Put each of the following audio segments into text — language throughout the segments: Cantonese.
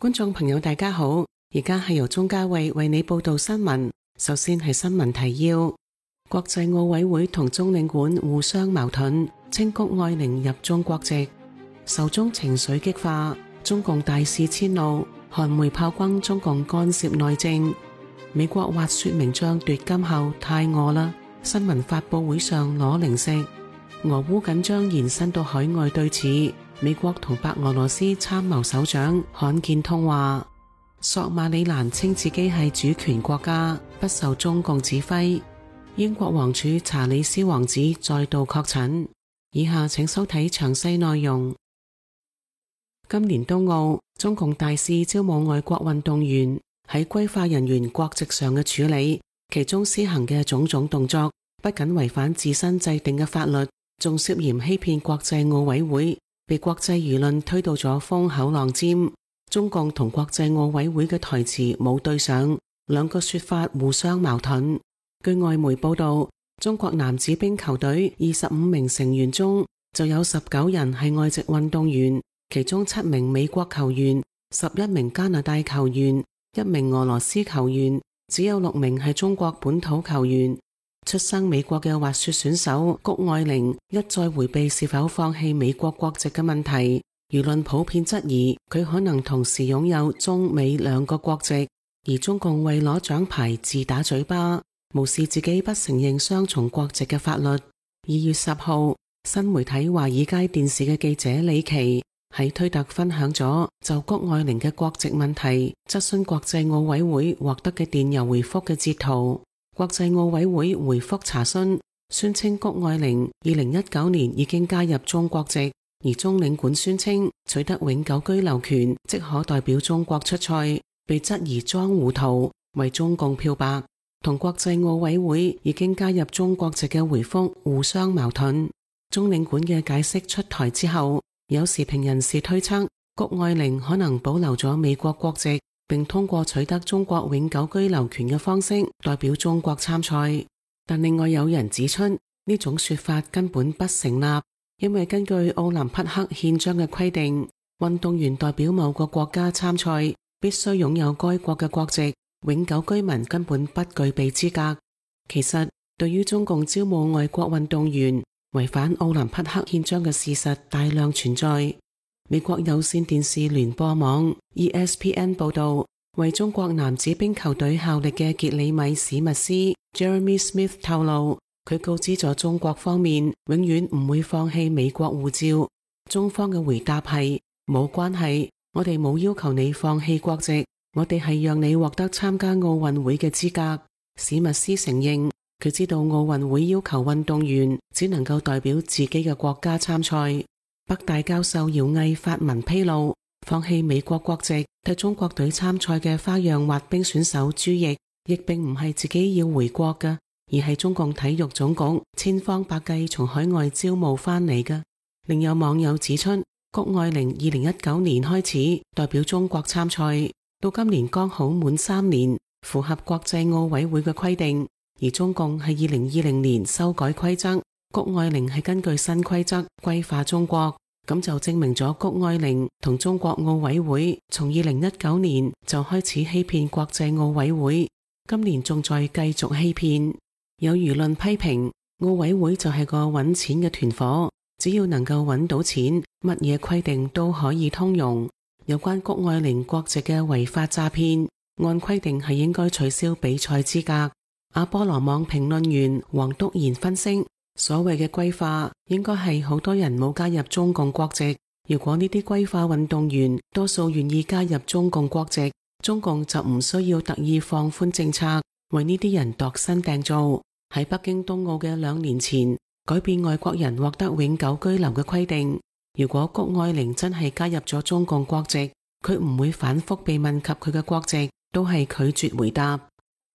觀眾朋友大家好，而家係由鍾嘉慧為你報道新聞。首先係新聞提要：國際奧委會同中領館互相矛盾，稱谷愛凌入中國籍。仇中情緒激化，中共大肆遷怒，韓媒炮轟中共干涉內政。美國滑雪名將奪金後太餓啦，新聞發佈會上攞零食。俄烏緊張延伸到海外對峙，美國同白俄羅斯參謀首長罕見通話。索馬里蘭稱自己係主權國家，不受中共指揮。英國王儲查理斯王子再度確診。以下請收睇詳細內容。今年冬奧，中共大肆招募外國運動員，喺歸化人員國籍上嘅處理，其中施行嘅種種動作，不僅違反自身制定嘅法律，仲涉嫌欺騙國際奧委會，被國際輿論推到咗風口浪尖。中共同國際奧委會嘅台詞冇對上，兩個說法互相矛盾。據外媒報道，中國男子冰球隊25名成員中就有19人係外籍運動員，其中7名美國球員、11名加拿大球員、1名俄羅斯球員，只有6名係中國本土球員。出生美國嘅滑雪選手谷愛凌一再迴避是否放棄美國國籍嘅問題，輿論普遍質疑佢可能同時擁有中美兩個國籍，而中共為攞獎牌自打嘴巴，無視自己不承認雙重國籍嘅法律。2月10號，新媒體華爾街電視嘅記者李琦喺推特分享咗就谷愛凌嘅國籍問題質詢國際奧委會獲得嘅電郵回覆嘅截圖。國際奧委會回覆查詢，宣稱谷愛凌2019年已經加入中國籍，而中領館宣稱取得永久居留權，即可代表中國出賽，被質疑裝糊塗，為中共漂白。同國際奧委會已經加入中國籍嘅回覆互相矛盾。中領館嘅解釋出台之後，有時評人士推測谷愛凌可能保留咗美國國籍，並通過取得中國永久居留權嘅方式代表中國參賽。但另外有人指出，呢種說法根本不成立，因為根據奧林匹克憲章嘅規定，運動員代表某個國家參賽必須擁有該國嘅國籍，永久居民根本不具備資格。其實，對於中共招募外國運動員違反奧林匹克憲章嘅事實大量存在。美國有線電視聯播網 ESPN 報道，為中國男子冰球隊效力嘅傑里米史密斯 Jeremy Smith 透露，佢告知咗中國方面永遠唔會放棄美國護照。中方嘅回答係冇關係，我哋冇要求你放棄國籍，我哋係讓你獲得參加奧運會嘅資格。史密斯承認佢知道奧運會要求運動員只能夠代表自己嘅國家參賽。北大教授姚毅發文披露，放棄美國國籍替中國隊參賽嘅花樣滑冰選手朱易，亦並唔係自己要回國嘅，而係中共體育總局千方百計從海外招募翻嚟嘅。另有網友指出，谷愛凌2019年開始代表中國參賽，到今年剛好滿3年，符合國際奧委會嘅規定。而中共係2020年修改規則，谷愛凌係根據新規則歸化中國，咁就證明咗谷愛凌同中國奧委會從2019年就開始欺騙國際奧委會，今年仲在繼續欺騙。有輿論批評奧委會就係個揾錢嘅團伙，只要能夠揾到錢，乜嘢規定都可以通用。有關谷愛凌國籍嘅違法詐騙，按規定係應該取消比賽資格。阿波羅網評論員黃篤賢分析，所謂嘅歸化應該係好多人冇加入中共國籍，如果呢啲歸化運動員多數願意加入中共國籍，中共就唔需要特意放寬政策，為呢啲人度身訂造。喺北京冬奧嘅2年前，改變外國人獲得永久居留嘅規定。如果谷愛凌真係加入咗中共國籍，佢唔會反覆被問及佢嘅國籍，都係拒絕回答。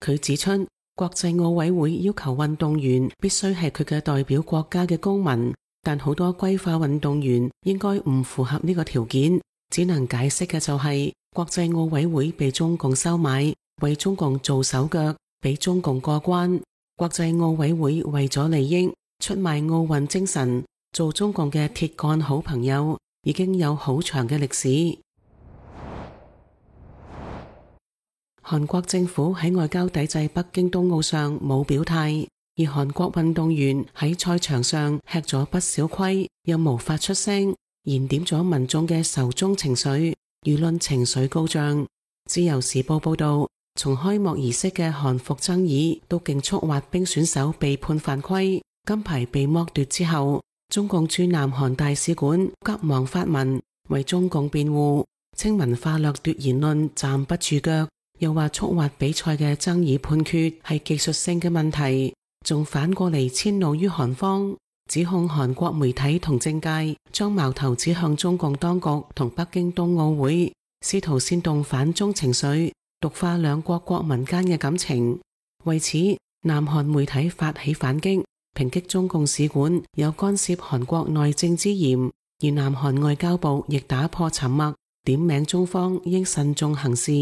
佢指出，國際奧委會要求運動員必須係佢嘅代表國家嘅公民，但好多歸化運動員應該唔符合呢個條件，只能解釋嘅就係國際奧委會被中共收買，為中共做手腳，俾中共過關。國際奧委會為咗利益出賣奧運精神，做中共嘅鐵桿好朋友，已經有好長嘅歷史。韓國政府喺外交抵制北京冬奧上冇表態，而韓國運動員喺賽場上吃咗不少虧，又無法出聲，燃點咗民眾嘅仇中情緒，輿論情緒高漲。自由時報報道，從開幕儀式嘅韓服爭議到競速滑冰選手被判犯規、金牌被剝奪之後，中共駐南韓大使館急忙發文為中共辯護，稱文化掠奪言論站不住腳，又話速滑比賽嘅爭議判決係技術性嘅問題，仲反過嚟遷怒於韓方，指控韓國媒體同政界將矛頭指向中共當局同北京冬奧會，試圖煽動反中情緒，毒化兩國國民間嘅感情。為此，南韓媒體發起反擊，抨擊中共使館有干涉韓國內政之嫌，而南韓外交部亦打破沉默，點名中方應慎重行事。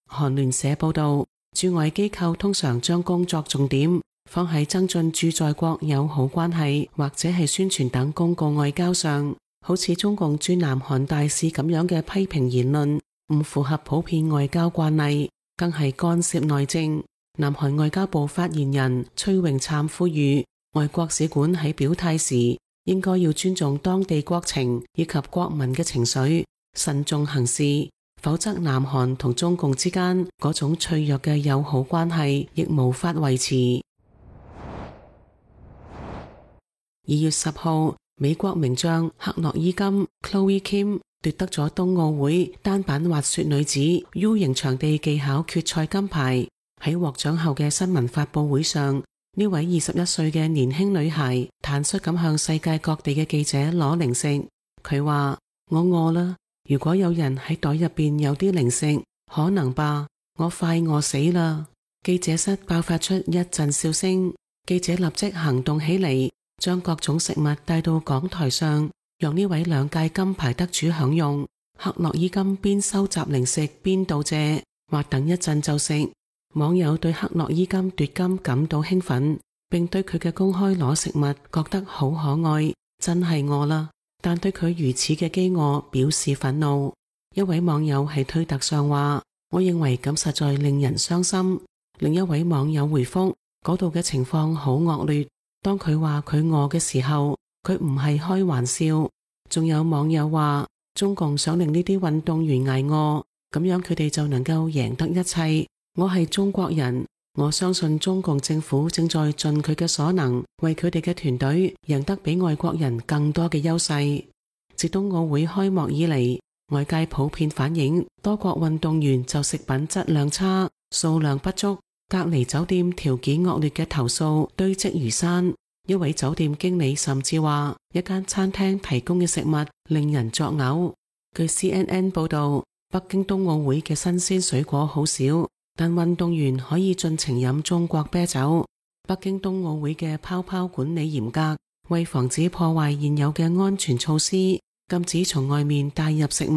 韓聯社報道，駐外機構通常將工作重點放喺增進駐在國友好關係或者係宣傳等公共外交上，好似中共駐南韓大使咁樣嘅批評言論唔符合普遍外交慣例，更係干涉內政。南韓外交部發言人崔永燦呼籲外國使館喺表態時應該要尊重當地國情以及國民嘅情緒，慎重行事，否則南韓同中共之間嗰種脆弱嘅友好關係亦無法維持。2月10號，美國名將克洛伊金 Chloe Kim 奪得咗冬奧會單板滑雪女子 U 型場地技巧決賽金牌。喺獲獎後嘅新聞發佈會上，呢位21歲嘅年輕女孩坦率咁向世界各地嘅記者攞零食。佢話：我餓啦，如果有人喺袋入邊有啲零食，可能吧，我快餓死啦。記者室爆發出一陣笑聲，記者立即行動起嚟，將各種食物帶到講台上，讓呢位2屆金牌得主享用。克洛伊金邊收集零食邊道謝，話等一陣就食。網友對克洛伊金奪金感到興奮，並對佢嘅公開攞食物覺得好可愛，真係餓啦。但對佢如此嘅飢餓表示憤怒。一位網友喺推特上話：我認為咁實在令人傷心。另一位網友回覆：嗰度嘅情況好惡劣。當佢話佢餓嘅時候，佢唔係開玩笑。仲有網友話：中共想令呢啲運動員挨餓，咁樣佢哋就能夠贏得一切。我係中國人，我相信中共政府正在盡佢嘅所能，為佢哋嘅團隊贏得比外國人更多嘅優勢。自冬奧會開幕以嚟，外界普遍反映多國運動員就食品質量差、數量不足、隔離酒店條件惡劣嘅投訴堆積如山。一位酒店經理甚至話，一間餐廳提供嘅食物令人作嘔。據 CNN 報道，北京冬奧會嘅新鮮水果好少，但運動員可以盡情飲中國啤酒。北京冬奧會嘅泡泡管理嚴格，為防止破壞現有嘅安全措施，禁止從外面帶入食物。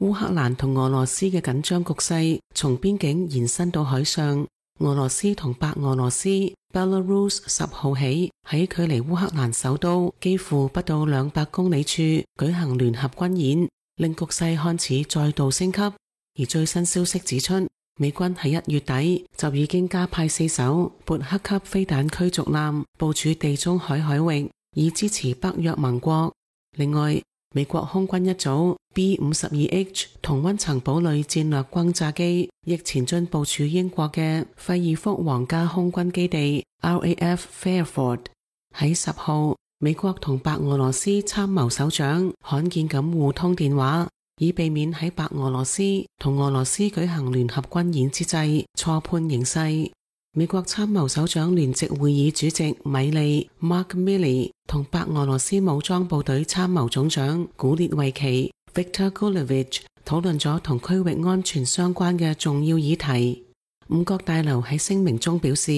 烏克蘭同俄羅斯嘅緊張局勢從邊境延伸到海上。俄羅斯同白俄羅斯 Belarus 10號起喺距離烏克蘭首都幾乎不到200公里處舉行聯合軍演，令局勢看似再度升級。而最新消息指出，美軍喺1月底就已經加派4艘勃克級飛彈驅逐艦部署地中海海域，以支持北約盟國。另外，美國空軍一組 B-52H 同溫層堡壘戰略轟炸機亦前進部署英國嘅費爾福皇家空軍基地 RAF Fairford。喺10號，美國同白俄羅斯參謀首長罕見咁互通電話，以避免喺白俄羅斯同俄羅斯舉行聯合軍演之際錯判形勢。美國參謀首長聯席會議主席米利 Mark Milley 同白俄羅斯武裝部隊參謀總長古列維奇 Viktor Gulevich 討論咗同區域安全相關嘅重要議題。五角大樓喺聲明中表示，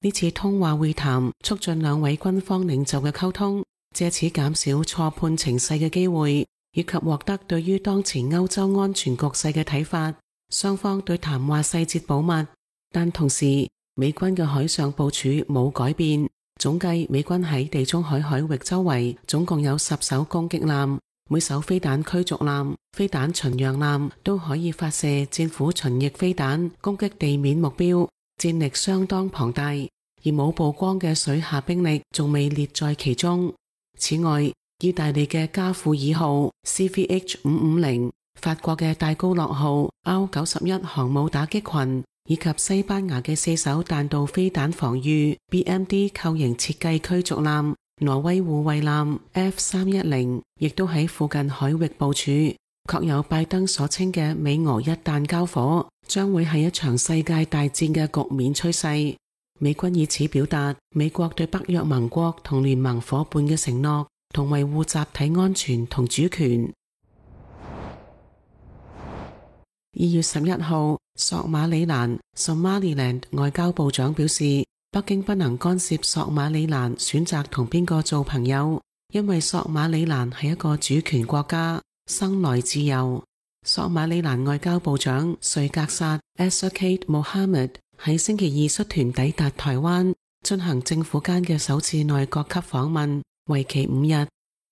呢次通話會談促進兩位軍方領袖嘅溝通，借此減少錯判情勢嘅機會，以及獲得對於當前歐洲安全局勢嘅睇法。雙方對談話細節保密，但同時美軍嘅海上部署冇改變，總計美軍喺地中海海域周圍總共有10艘攻擊艦，每艘飛彈驅逐艦、飛彈巡洋艦都可以發射戰斧巡弋飛彈攻擊地面目標，戰力相當龐大，而冇曝光嘅水下兵力仲未列在其中。此外，意大利嘅加庫爾號 CVH-550、法國嘅戴高樂號 R91 航母打擊群，以及西班牙嘅4艘彈道飛彈防禦 BMD 構型設計驅逐艦挪威護衛艦 F310 亦都喺附近海域部署。確有拜登所稱嘅美俄一旦交火，將會係一場世界大戰嘅局面趨勢。美軍以此表達美國對北約盟國同聯盟夥伴嘅承諾，同維護集體安全同主權。2月11號，索馬里蘭 Somaliland 外交部長表示，北京不能干涉索馬里蘭選擇同邊個做朋友，因為索馬里蘭係一個主權國家，生來自由。索馬里蘭外交部長瑞格薩 Esakate Mohammed 喺星期二率團抵達台灣，進行政府間嘅首次內閣級訪問，為期5日。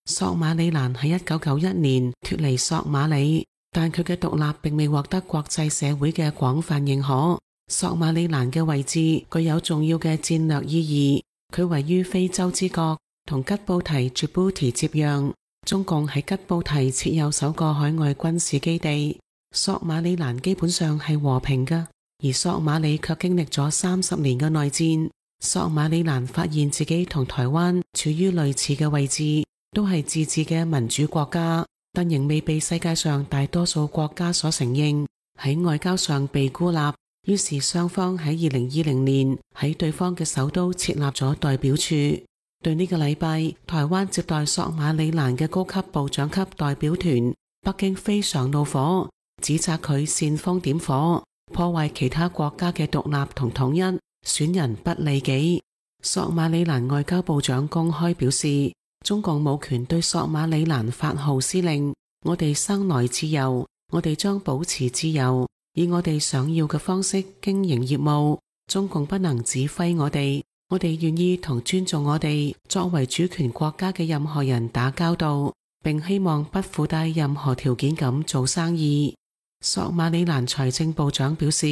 索馬里蘭喺1991年脫離索馬里，但佢嘅獨立並未獲得國際社會嘅廣泛認可。索馬里蘭嘅位置具有重要嘅戰略意義，佢位於非洲之角，同吉布提 Djibouti 接壤。中共喺吉布提設有首個海外軍事基地。索馬里蘭基本上係和平嘅，而索馬里卻經歷咗30年嘅內戰。索馬里蘭發現自己同台灣處於類似嘅位置，都係自治嘅民主國家，但仍未被世界上大多數國家所承認，喺外交上被孤立。於是雙方喺2020年喺對方嘅首都設立咗代表處。對呢個禮拜，台灣接待索馬里蘭嘅高級部長級代表團，北京非常怒火，指責佢煽風點火，破壞其他國家嘅獨立同統一，損人不利己。索馬里蘭外交部長公開表示，中共冇權對索馬里蘭發號施令，我哋生來自由，我哋將保持自由，以我哋想要嘅方式經營業務，中共不能指揮我哋。我哋願意同尊重我哋作為主權國家嘅任何人打交道，並希望不附帶任何條件咁做生意。索馬里蘭財政部長表示，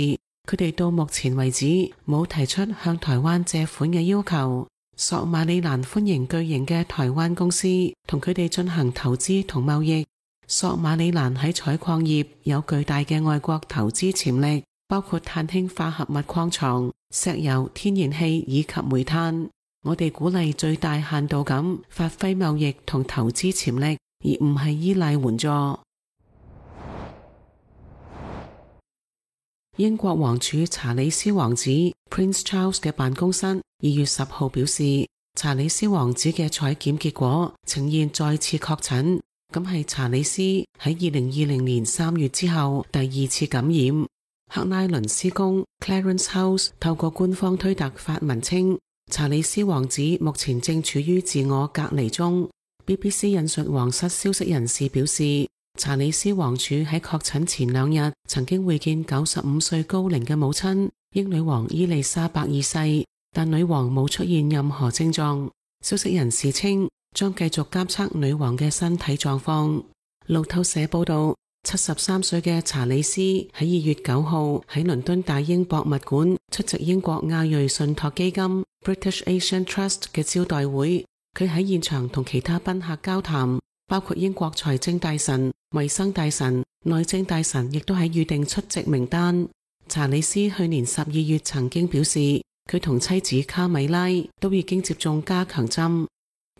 佢哋到目前為止冇提出向台灣借款嘅要求。索馬里蘭歡迎巨型嘅台灣公司同佢哋進行投資同貿易。索馬里蘭喺採礦業有巨大嘅外國投資潛力，包括碳氫化合物礦床、石油、天然氣以及煤炭。我哋鼓勵最大限度咁發揮貿易同投資潛力，而唔係依賴援助。英國王儲查理斯王子 Prince Charles 嘅辦公室2月10號表示，查理斯王子嘅採檢結果呈現再次確診，咁係查理斯喺2020年3月之後第2次感染。克拉倫斯宮 Clarence House 透過官方推特發文稱，查理斯王子目前正處於自我隔離中。BBC 引述皇室消息人士表示，查理斯王儲喺確診前2日曾經會見95歲高齡嘅母親英女王伊麗莎白二世，但女王冇出現任何症狀。消息人士稱將繼續監測女王嘅身體狀況。路透社報道，73歲嘅查理斯喺2月9號喺倫敦大英博物館出席英國亞裔信託基金 British Asian Trust 嘅招待會。佢喺現場同其他賓客交談，包括英國財政大臣、衛生大臣、內政大臣，亦都喺預定出席名單。查理斯去年12月曾經表示，佢同妻子卡米拉都已經接種加強針。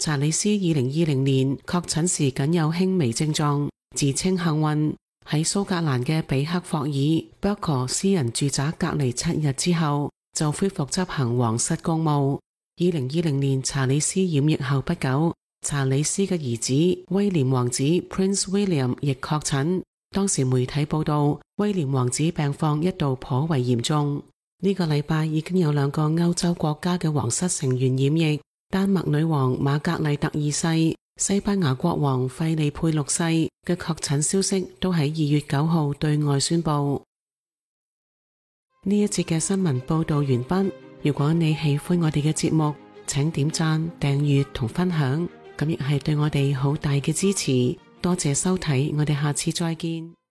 查理斯2020年確診時僅有輕微症狀，自稱幸運。喺蘇格蘭嘅比克霍爾 Berkshire 私人住宅隔離7日之後，就恢復執行皇室公務。2020年查理斯染疫後不久，查理斯嘅兒子威廉王子 Prince William 亦確診。當時媒體報道，威廉王子病況一度頗為嚴重。呢個禮拜已經有2個歐洲國家嘅皇室成員染疫，丹麥女王瑪格麗特2世、西班牙國王費利佩6世嘅確診消息都喺2月9號對外宣布。呢一節嘅新聞報道完畢。如果你喜歡我哋嘅節目，請點讚、訂閱同分享，咁亦係對我哋好大嘅支持。多謝收睇，我哋下次再見。